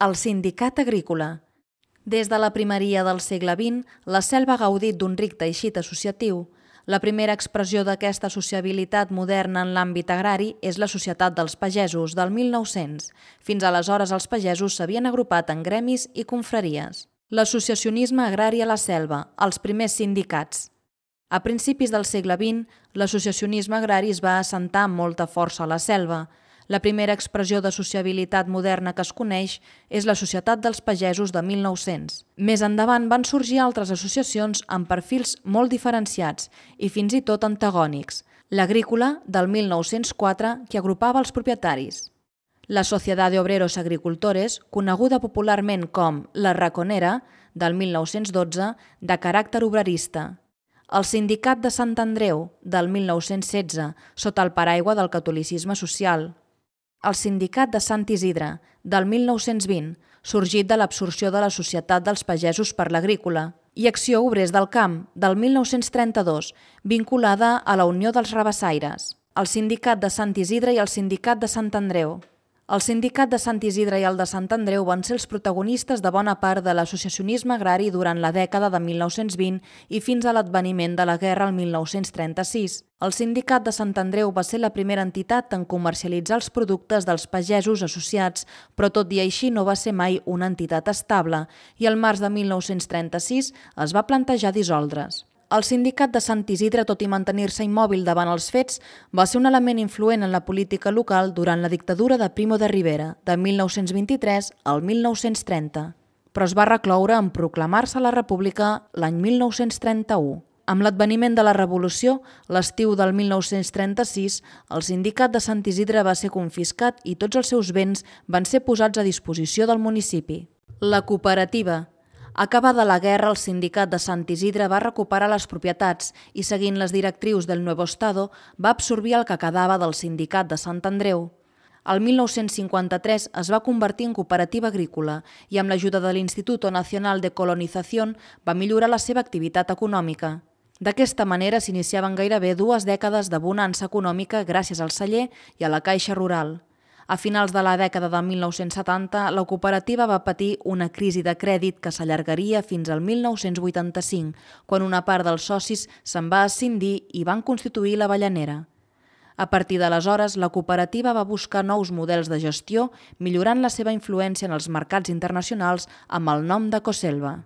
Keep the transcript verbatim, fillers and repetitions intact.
El sindicat agrícola. Des de la primeria del segle vint, la Selva ha gaudit d'un ric teixit associatiu. La primera expressió d'aquesta sociabilitat moderna en l'àmbit agrari és la Societat dels Pagesos, del mil nou-cents. Fins aleshores els pagesos s'havien agrupat en gremis i confraries. L'associacionisme agrari a la Selva, els primers sindicats. A principis del segle vint, l'associacionisme agrari es va assentar amb molta força a la Selva. La primera expressió de sociabilitat moderna que es coneix és la Societat dels Pagesos de mil nou-cents. Més endavant van sorgir altres associacions amb perfils molt diferenciats i fins i tot antagònics. L'Agrícola, del mil nou-cents quatre, que agrupava els propietaris. La Sociedad de Obreros Agricultores, coneguda popularment com la Raconera, del mil nou-cents dotze, de caràcter obrerista. El Sindicat de Sant Andreu, del mil nou-cents setze, sota el paraigua del catolicisme social. El Sindicat de Sant Isidre, del mil nou-cents vint, sorgit de l'absorció de la Societat dels Pagesos per l'Agrícola, i Acció Obrers del Camp, del mil nou-cents trenta-dos, vinculada a la Unió dels Rabassaires. El Sindicat de Sant Isidre i el Sindicat de Sant Andreu. El Sindicat de Sant Isidre i el de Sant Andreu van ser els protagonistes de bona part de l'associacionisme agrari durant la dècada de mil nou-cents vint i fins a l'adveniment de la guerra el mil nou-cents trenta-sis. El Sindicat de Sant Andreu va ser la primera entitat en comercialitzar els productes dels pagesos associats, però tot i així no va ser mai una entitat estable i al març de mil nou-cents trenta-sis es va plantejar dissoldre's. El Sindicat de Sant Isidre, tot i mantenir-se immòbil davant els fets, va ser un element influent en la política local durant la dictadura de Primo de Rivera, de mil nou-cents vint-i-tres al mil nou-cents trenta, però es va recloure en proclamar-se la República l'any mil nou-cents trenta-u. Amb l'adveniment de la Revolució, l'estiu del mil nou-cents trenta-sis, el Sindicat de Sant Isidre va ser confiscat i tots els seus béns van ser posats a disposició del municipi. La cooperativa. Acabada la guerra, el Sindicat de Sant Isidre va recuperar les propietats i, seguint les directrius del Nuevo Estado, va absorbir el que quedava del Sindicat de Sant Andreu. El mil nou-cents cinquanta-tres es va convertir en cooperativa agrícola i, amb l'ajuda de l'Instituto Nacional de Colonización, va millorar la seva activitat econòmica. D'aquesta manera s'iniciaven gairebé dues dècades de bonança econòmica gràcies al celler i a la caixa rural. A finals de la dècada de mil nou-cents setanta, la cooperativa va patir una crisi de crèdit que s'allargaria fins al mil nou-cents vuitanta-cinc, quan una part dels socis se'n va escindir i van constituir l'Avellanera. A partir d'aleshores, la cooperativa va buscar nous models de gestió, millorant la seva influència en els mercats internacionals amb el nom de Coselva.